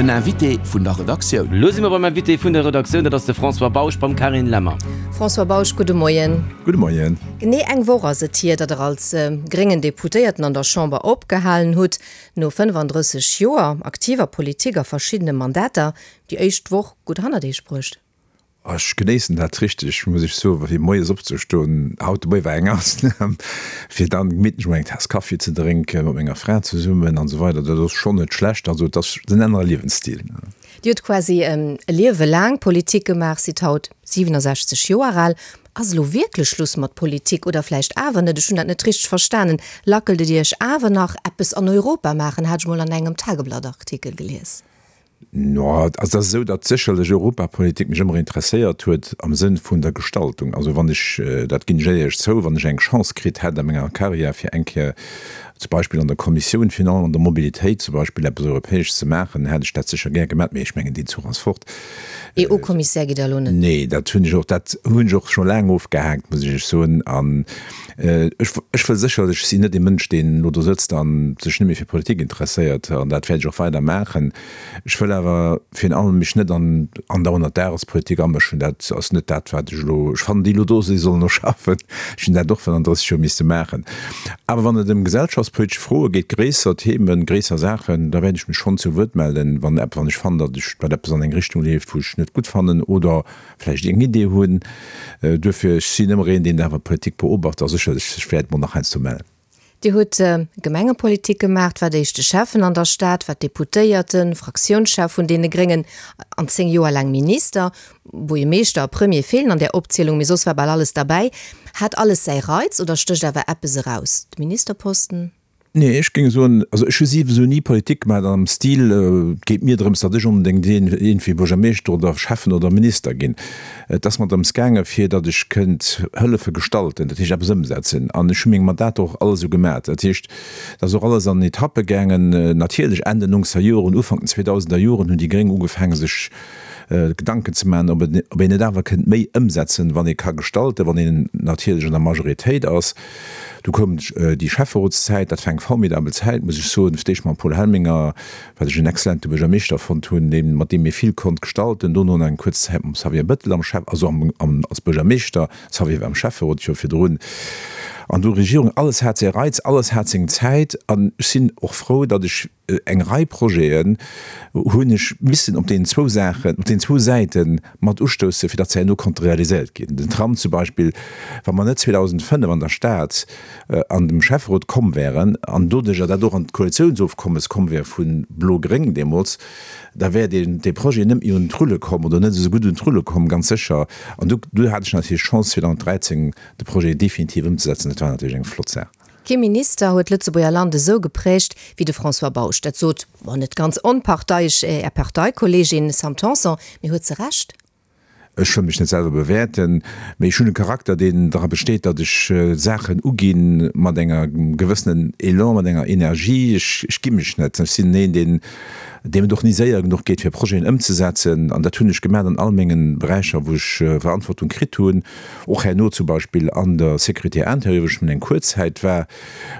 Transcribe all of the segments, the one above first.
Den Invité vun der Redaktioun. Lo si mer beim Invité vun der Redaktioun, dat ass de François Bausch beim Carine Lemmer. François Bausch, gudde Moien. Gudde Moien. Genee eng Woch ass et hier, datt Der als gréngen Deputéierten an der Chamber opgehalen hutt. No 35 Joer aktiver Politik a verschiddene Mandater, déi éischt Woch gutt hannert Iech bruecht? Ech genéissen dat richteg, muss ech soen, fir moies opzestoen. Haut de Moie war eng Ausnam, fir dann gemittlech mol eng Taass Kaffi ze drénken mat menger Fra zesummen an esou weider. Dat ass schonn net schlecht. Also et ass en anere Liewensstil. Dir hutt quasi e Liewe laang Politik gemaach, sidd haut 67 Joer al. Ass elo wierklech Schluss mat Politik oder vläicht awer net? Ech hunn dat net richteg verstanen. Lackelt et Iech awer nach, eppes an Europa maachen, hat ech mol an engem Tageblatt-Artikel gelies. No, also et ass esou, datt sécherlech Europapolitik mech ëmmer interesséiert huet am Sënn vun der Gestaltung. Also wann ech, dat ginn ech éierlech zou, wann ech eng Chance kritt hätt a menger Carrière fir eng Kéier zum Beispill an der Kommissioun, virun allem an der Mobilitéit zum Beispill eppes Europäesches ze maachen, hätt ech dat sécher gär gemat. Mee ech mengen, deen Zuch ass fort. EU-Kommissär gitt Der elo net? Nee, dat hunn ech och, dat hunn ech och scho laang ofgehaakt, muss ech Iech soen. An ech, ech wëll sécherlech, ech sinn net ee Mënsch, deen elo do sëtzt a sech net méi fir Politik interesséiert, an dat wäert ech och weider maachen. Ech wëll awer virun allem mech net an andauernd an d'Dagespolitik amëschen. Dat ass net dat, wat ech elo, ech fannen, déi elo do sinn, sollen och schaffen. Ech hunn dat och 35 Joer misste maachen. Awer wann et ëm gesellschaftspolitesch Froe geet, gréisser Themen, gréisser Saachen, da wäert ech mech schonn zu Wuert mellen, wann wann ech fannen, datt ech, datt eppes an eng Richtung leeft, wou ech net gutt fannen oder vläicht eng Idee hunn. Duerfir, ech sinn ëmmer een, deen awer Politik beobacht a sécherlech sech wäert mol nach heiansdo mellen. Dir hutt Gemengepolitik gemaacht, waart éischte Schäffen an der Stad, waart Deputéierten, Fraktiounschef vun deene Gréngen an 10 Joer laang Minister. Buergermeeschter a Premier feelen an där Opzielung, mee soss war bal alles derbäi. Hat alles säi Reiz oder stécht awer eppes eraus? De Ministerposten? Nee, ech géing soen, also ech hu siwesou ni Politik gemaach am Stil, et geet mir drëms, datt ech onbedéngt iergendwéi Buergermeeschter oder Schäffen oder Minister ginn. Et ass mer drëms gaange fir datt ech kënnt hëllefe gestalten, dat heescht eppes ëmsetzen. An ech hu meng Mandater och all esou gemaach. Dat heescht, et ass och alles an Etappe gaangen. Natierlech Enn den nongzeger Joren, Ufank den zweedausender Joren hunn déi Gréng ugefaange sech Gedanken ze maachen, ob een net awer kënnt méi ëmsetzen, wann ee ka gestalten, wann een natierlech an der Majoritéit ass. Du koum déi Schäfferotszäit, dat war eng formidabel Zäit, muss ech soen, fir d'éischt mam Paul Helminger, wat ech en exzellente Buergermeeschter fonnt hunn, deen, mat deem ee vill konnt gestalten, dono nach eng kuerz Zäit mam Xavier Bettel am Schäff, also am, am, als Buergermeeschter, Xavier war am Schäfferot jo virdrun, an du Regierung. Alles hat säi Reiz, alles hat seng Zäit an ech sinn och frou, datt ech eng Rei Projeten hunn ech missen op deenen zwou Saachen, op deenen zwou Säite mat ustoussen, fir datt se herno konnte realiséiert ginn. Den Tram zum Beispill, wa mer net 2005 an der Stad an dem Schäfferot komm wären an doduerjer dat och an d'Koalitiounsofkommes komm wär vu Blo-Gréng deemools, da wär deen, dee Projet net méi un d'Rulle komm oder net esou gutt un d'Rulle komm, ganz sécher. An du, du hat ech natierlech d'Chance 2013 de Projet definitiv ëmzesetzen. Dat war natierlech eng flott Saach. Kee Minister huet d'Lëtzebuerger Land esou geprägt wéi de François Bausch. Dat sot, bon, net ganz onparteiesch, Är Parteikolleegin Sam Tanson. Mee huet se Recht? Ech wëll mech net selwer bewäerten, mee ech hunn e Charakter, deen dra besteet, datt ech Saachen ugi mat enger gewëssenen Elan, mat enger Energie. Ech gi mech net. Ech sinn een, deen, deem et och ni séier genuch geet, fir Projeten ëmzesetzen. An dat hunn ech gemaach an all menge Beräicher, wou ech Verantwortung kritt hunn. Och herno zum Beispill an der Sécurité intérieure, wou ech nëmmen eng kuerz Zäit war,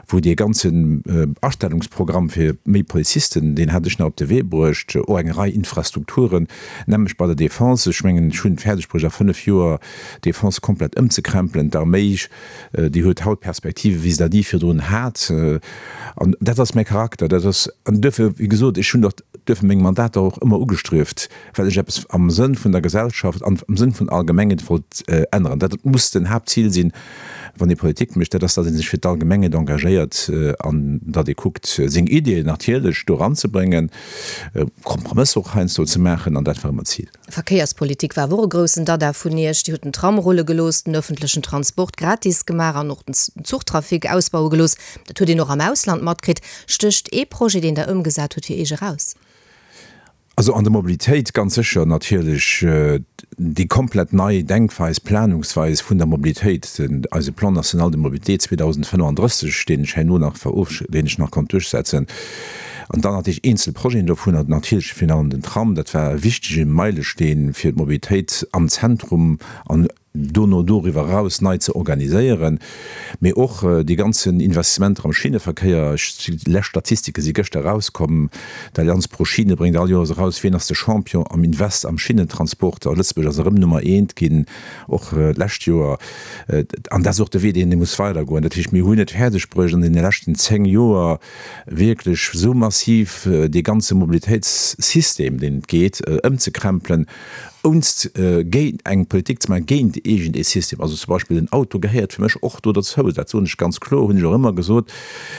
wou dee ganzen Astellungsprogramm fir méi Polizisten, deen hat ech nach op de Wee bruecht, och eng Rei Infrastrukturen, nämlech bei der Défense. Ech mengen, ech hunn et fäerdeg bruecht a 5 Joer d'Défense komplett ëmzekrempelen. D'Arméi, déi huet haut Perspektive wéi se dat ni virdrun hat. An dat ass mäi Charakter, dat ass, an duerfir, wéi gesot, ech hunn och duerfir meng Mandater och ëmmer ugestrieft, well ech eppes am Sënn vun der Gesellschaft an am Sënn vun der Allgemengheet wollt änneren. Dat muss den Haaptzil sinn, wann ee Politik mécht, dat ass, datt ee sech fir d'Allgemengheet engagéiert an datt ee kuckt, seng Ideeën natierlech do eranzebréngen, Kompromësser och heiansdo ze maachen, an dat war ëmmer d'Zil. Verkéierspolitik war awer och e groussen Dada vun Iech. Dir hutt den Tram rulle gelooss, den ëffentlechen Transport gratis gemaach an och den Zuchtrafic ausbaue gelooss. Dat huet een och am Ausland matkritt. Stécht ee Projet, deen Der ëmgesat hutt, fir Iech eraus? Also an der Mobilitéit ganz sécher natierlech déi komplett nei Denkweis, Planungsweis vun der Mobilitéit, den eise Plan national de mobilité 2035, deen ech herno nach verofsch-, deen ech nach konnt duerchsetzen. An dann natierlech eenzel Projeten dovunner, natierlech virun allem den Tram, dat war e wichtege Meilesteen fir d'Mobilitéit am Zentrum an. Dono doriwwer eraus nei ze organiséieren, mee och déi ganzen Investissementer am Schinneverkéier. Déi lescht Statistike si gëschter erauskomm. D'Allianz Pro Schiene bréngt all Joers eraus, wien ass de Champion am Invest am Schinnentransport. A Lëtzebuerg ass erëm Nummer eent ginn, och d'lescht Joer. An dat ass och de Wee, deen ee muss weidergoen. Dat heescht, mir hunn et fäerdeg bruecht an deene leschten 10 Joer wierklech esou massiv dee ganze Mobilitéitssystem, deen et geet, ëmzekrempelen, Ounst géint eng Politik ze maachen, géint iergend ee System, also zum Beispill den Auto gehéiert fir mech och do dozou, dat soen ech ganz kloer, hunn ech och ëmmer gesot,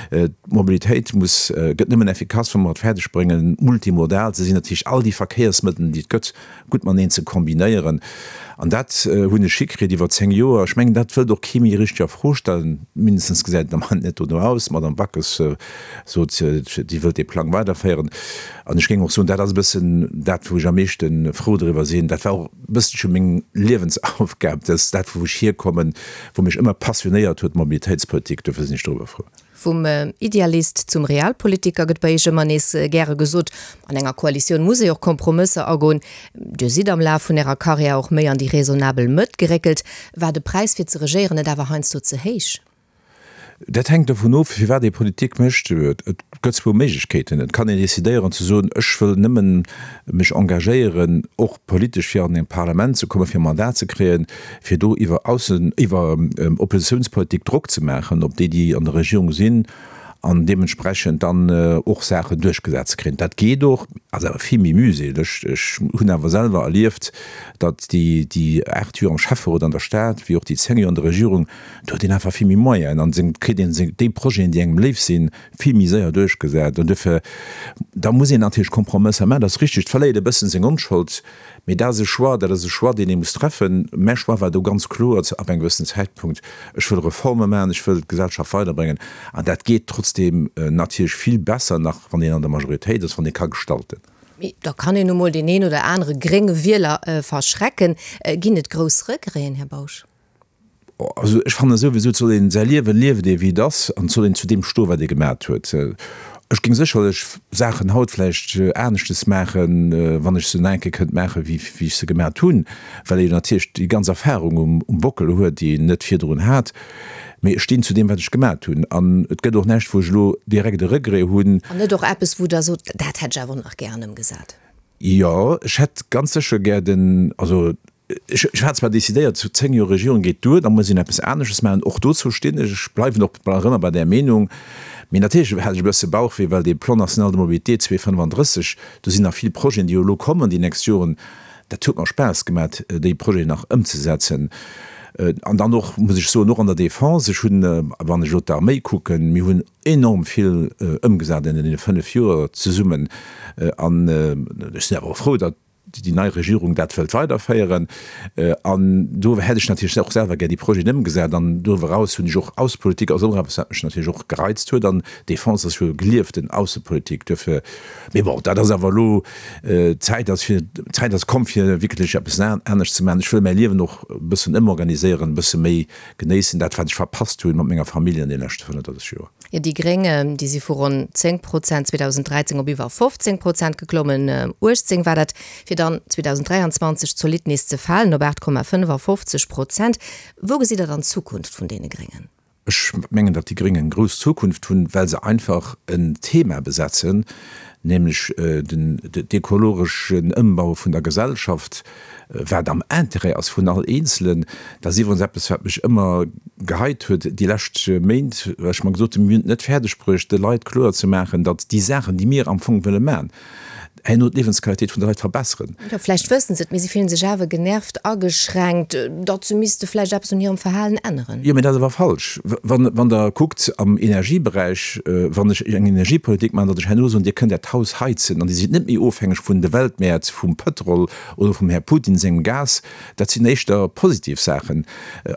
d'Mobilitéit muss, gëtt nëmmen effikass, wa mer et fäerdeg bréngen, multimodal ze sinn, dat heescht all déi Verkéiersmëttel, déi et gëtt, gutt mateneen ze kombinéieren. An dat hunn ech hikritt iwwer 10 Joer. Ech mengen, dat wëllt och kee méi richteg a Fro stellen, mindestens gesäit et am Moment net dono aus. D'Madame Backes sot, déi wëllt dee Plang weiderféieren. An ech géing och soen, dat ass e bëssen dat, wou ech am meeschte frou driwwer sinn. Dat war och e bësselche meng Liewensaufgab. Dat ass dat, wou ech hierkommen, wou mech ëmmer passionéiert huet, d'Mobilitéitspolitik. Dofir sinn ech doriwwer frou. Vum Idealist zum Realpolitiker gëtt bei Iech ëmmer nees gäre gesot. An enger Koalitioun muss ee och Kompromësser agoen. Dir sidd am Laf vun Ärer Karriär och méi an déi raisonnabel Mëtt geréckelt. War de Präis fir ze regéieren net awer heiansdo ze héich? Dat hänkt dovun of, firwat ee Politik mécht. Et gëtt zwou Méiglechkeeten. Et kann een decidéieren ze soen, ech wëll nëmmen mech engagéieren, och politesch, fir an e Parlament ze kommen, fir e Mandat ze kréien, fir do iwwer Aussen-, iwwer Oppositiounspolitik Drock ze maachen op déi, déi an der Regierung sinn, an deementsprechend dann och Saachen duerchgesat ze kréien. Dat geet och, ass awer vill méi mühseleg. Ech hunn awer selwer erlieft, datt déi, déi 8 Joer am Schäfferot an der Stad, wéi och déi 10 Joer an der Regierung, Do huet een einfach vill méi Moyenen an seng kritt een seng déi Projeten, déi engem léif sinn, vill méi séier duerchgesat. An duerfir, da muss een natierlech Kompromësser maachen, dat ass richtig. Et verléiert e bëssen seng Onschold, mee dat ass e Choix, dat ass e Choix, deen ee muss treffen. Mäi Choix war do ganz kloer ab engem gewëssenen Zäitpunkt, Ech wëll Reforme maachen, ech wëll d'Gesellschaft weiderbréngen. An dat geet trotzdeem natierlech vill besser nach, wann een an der Majoritéit ass, wann ee ka gestalten. Mee da kann een nu mol deen een oder anere grénge Wieler verschrecken. Ginn et grouss Regreten, Här Bausch? Also ech fannen souwisou, et soll een säi Liewen liewen ee wéi et ass an et soll een zu deem stoen, wat ee gemat huet. Ech géing sécherlech Saachen haut vläicht aneschtes maachen, wann ech se nach eng Kéier kënnt maachen, wéi wéi ech se gemat hunn, well ee natierlech déi ganz Erfahrung um um Bockel huet, déi een net virdrun hat. Mee ech stinn zu deem, wat ech gemat hunn an et gëtt och näischt, wou ech elo direkt e Regret hunn. An net och eppes, wou Der sot, dat hätt ech awer och nach gären ëmgesat? Jo, ech hätt ganz sécher gär den, also Ech hat zwar decidéiert, zu 10 Joer Regierung geet duer, da muss een eppes anesches maachen. Och dozou stinn ech. Ech bleiwen och nach ëmmer bei där Meenung. Mee natierlech hat ech e bësse Bauchwéi, well dee Plan national de mobilité 2035, do sinn nach vill Projeten, déi jo elo kommen déi nächst Joren, dat huet mer Spaass gemat, déi Projeten nach ëmzesetzen. An dann och, muss ech soen, och an der Defense, ech hunn, wann ech elo d'Arméi kucken, mir hunn enorm vill ëmgesat an deene 5 Joer zesummen. An ech sinn awer och frou, datt déi nei Regierung dat wëllt weiderféieren. An do hätt ech natierlech och selwer gär déi Projeten ëmgesat. An doriwwer eraus hunn ech och Aussepolitik ass och eppes, wat mech natierlech och gereizt huet. An Defense ass jo gelieften Aussepolitik. Duerfir, mee bon, dat ass awer elo, d'Zäit ass fir, d'Zäit ass komm fir wierklech eppes anescht ze maachen. Ech wëll mäi Liewen och e bëssen ëmorganiséieren, e bësse méi genéissen, dat wat ech verpasst hunn mat menger Famill an de leschte 35 Joer. Jo, déi Gréng, déi si vu ronn 10 Prozent 2013 op iwwer 15 Prozent geklommen, 18 war dat, fir dann 2023 zolidd nees ze falen op 8,55 Prozent. Wou gesitt Der dann d'Zukunft vun deene Gréngen? Ech mengen, datt déi Gréng eng grouss Zukunft hunn, well se einfach en Thema besetzen, nämlech den ökologeschen Ëmbau vun der Gesellschaft, wat am Intérêt ass vun all Eenzelen. Dat ass iwwerens eppes, wat mech ëmmer geheit huet déi lescht Méint, well ech mer gesot hunn, mir hunn et net fäerdeg bruecht, de Leit kloer ze maachen, datt déi Saachen, déi mir am Fong wëlle maachen, herno d'Liewensqualitéit vun de Leit verbesseren. Jo, vläicht wëssen se et, mee se fillen sech awer genervt, ageschränkt, datt se misste vläicht eppes un hirem Verhalen änneren. Jo, mee dat ass awer falsch. Wann Der kuckt am Energieberäich, wann ech eng Energiepolitik maachen, datt ech herno soen, Dir kënnt Äert Haus heizen an Dir sidd net méi ofhängeg vun de Weltmäert, vum Pëtrol oder vum Här Putin sengem Gas, dat sinn éischter positiv Saachen.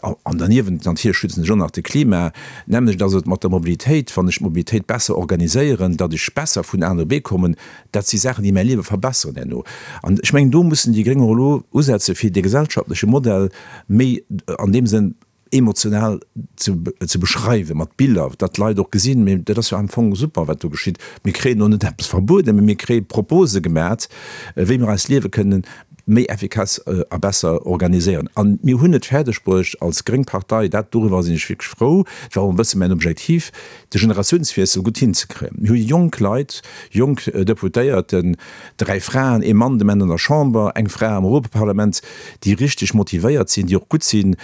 An derniewent natierlech schützen ech och nach de Klima. D'nämmlecht ass et mat der Mobilitéit. Wann ech d'Mobilitéit besser organiséieren, datt ech besser vun A no B kommen, dat si Saachen, déi mäi Liewe verbesseren herno. An ech mengen, do mussen déi Gréng och elo usetze fir dee gesellschaftleche Modell méi an deem Sënn emotional ze beschreiwen, mat Biller, datt d'Leit och gesinn, mee dat ass jo am Fong super, wat do geschitt. Mir kréien och net eppes verbueden, mee mir kréie Propose gemat, wéi mer eist Liewe kënnen. méi effikass a besser organiséieren. A mir hunn et fäerdeg bruecht als gréng Partei, dat, doriwwer sinn ech wierklech frou, dat war och e bësse mäin Objektiv, de Generatiounswiessel gutt hinzekréien. Mir hu jonk Leit, jonk Deputéierten, 3 Fraen, ee Mann de Moment an der Chamber, eng Fra am Europaparlament, déi richteg motivéiert sinn, déi och gutt sinn.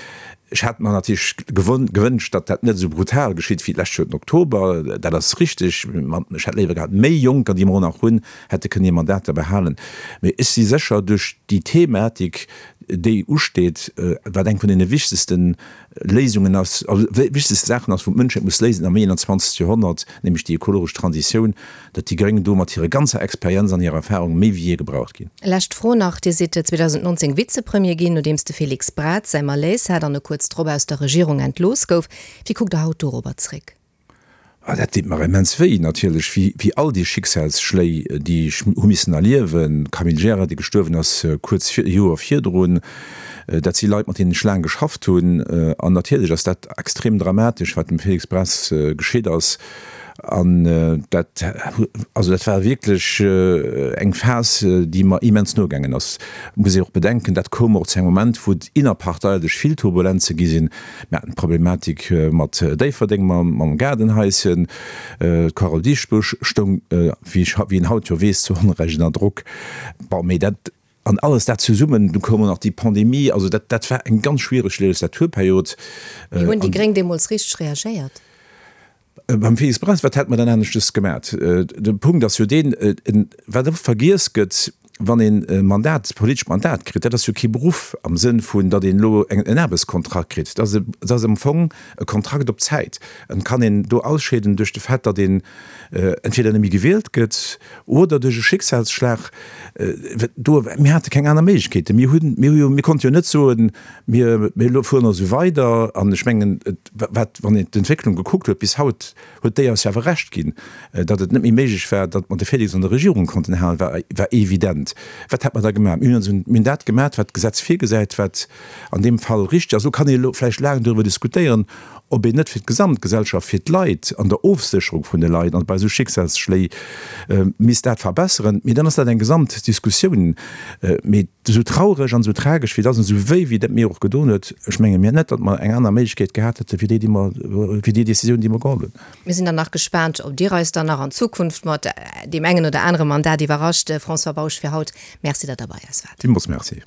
Ech hätt mer natierlech gewënscht, datt dat net esou brutal geschitt wéi d'lescht Joer den Oktober, dat ass richteg. Ech hätt léiwer gehat, méi Jonker, déi mer och nach hunn, hätte kënnen hir Mandater behalen. Mee ech si sécher, duerch déi Thematik, déi usteet, wat eng vun deene wichtegsten Léisungen ass, also wichtegste Saachen ass, wou d'Mënschheet muss léisen am 21. Joerhonnert, nämlech déi ekologesch Transitioun, datt déi Gréng do mat hirer ganzer Experienz an hirer Erfahrung méi wéi jee gebraucht ginn. Lescht Fro nach, Dir sidd 2019 Vizepremier ginn, nodeems de Félix Braz säi Malaise hat an e kuerz drop aus der Regierung entlooss gouf. Wéi kuckt Der haut dorobber zréck? Ah, dat deet mer immens wéi, natierlech, wéi, wéi all déi Schicksalsschléi, déi ech hu missen erliewen. D'Camille Gira, déi gestuerwen ass kuerz vir, Joer virdrun, dat si Leit, mat deenen ech laang geschafft hunn. An natierlech ass dat extrem dramatesch, wat dem Félix Braz geschitt ass. An dat, also dat war wierklech eng Phas, déi mer immens no gaangen ass. Muss ee och bedenken, dat koum och zu engem Moment, wou et innerparteilech vill Turbulenze gi sinn. Mir haten d'Problematik mat Déifferdeng mam Gaardenhaischen. D'Carole Dieschbourg stoung, wéi een haut jo weess, zu Onrecht ënner Drock. Bon, mee dat, an alles dat zesummen, du koum och nach déi Pandemie, also dat, dat war eng ganz schwiereg Legislaturperiod. Wéi hunn déi Gréng deemools richteg reagéiert? Beim Félix Braz, wat hätt mer dann aneschtes gemat? De Punkt ass jo deen, wat oft vergiess gëtt, wann een e Mandat, e politescht Mandat kritt, dat ass jo kee Beruff am Sënn vun, datt een elo en Aarbechtskontrakt kritt. Dat ass e, dat ass am Fong e Kontrakt op Zäit. Et kann een do ausscheeden duerch de Fait, datt een entweder net méi gewielt gëtt oder duerch e Schicksalsschlag. Do, mir hate keng aner Méiglechkeeten. Mir hunn, mir hu jo, mir konnte jo net soen, mir, mir elo fueren esou weider. An ech mengen, et, wat, wann een d'Entwécklung gekuckt huet bis haut, huet déi eis jo awer Recht ginn, datt et net méi méiglech war, datt mer de Félix an der Regierung konnten halen, war, war evident. Wat hätt mer da gemaach? Mir hunn ons, mir hunn dat gemaach, wat d'Gesetz virgesäit, wat an deem Fall richtig ass. Elo kann ee elo vläicht laang doriwwer diskutéieren, ob een net fir d'Gesamtgesellschaft, fir d'Leit an der Ofsécherung vun de Leit an bei esou Schicksalsschléi misst dat verbesseren. Mee dann ass dat eng Gesamtdiskussioun. Mee esou traureg an esou tragesch wéi et ass an esou wéi wéi dat mir och gedoen huet, ech menge mir net, datt mer eng aner Méiglechkeet gehat hätte wéi déi, déi mer, wéi déi Décisioun, déi mer geholl hunn. Mir sinn dann nach gespaant, ob Dir eis dann nach an Zukunft mat deem engen oder anere Mandat iwwerrascht. François Bausch, fir haut Merci, datt Der bei eis waart. Villmools Merci.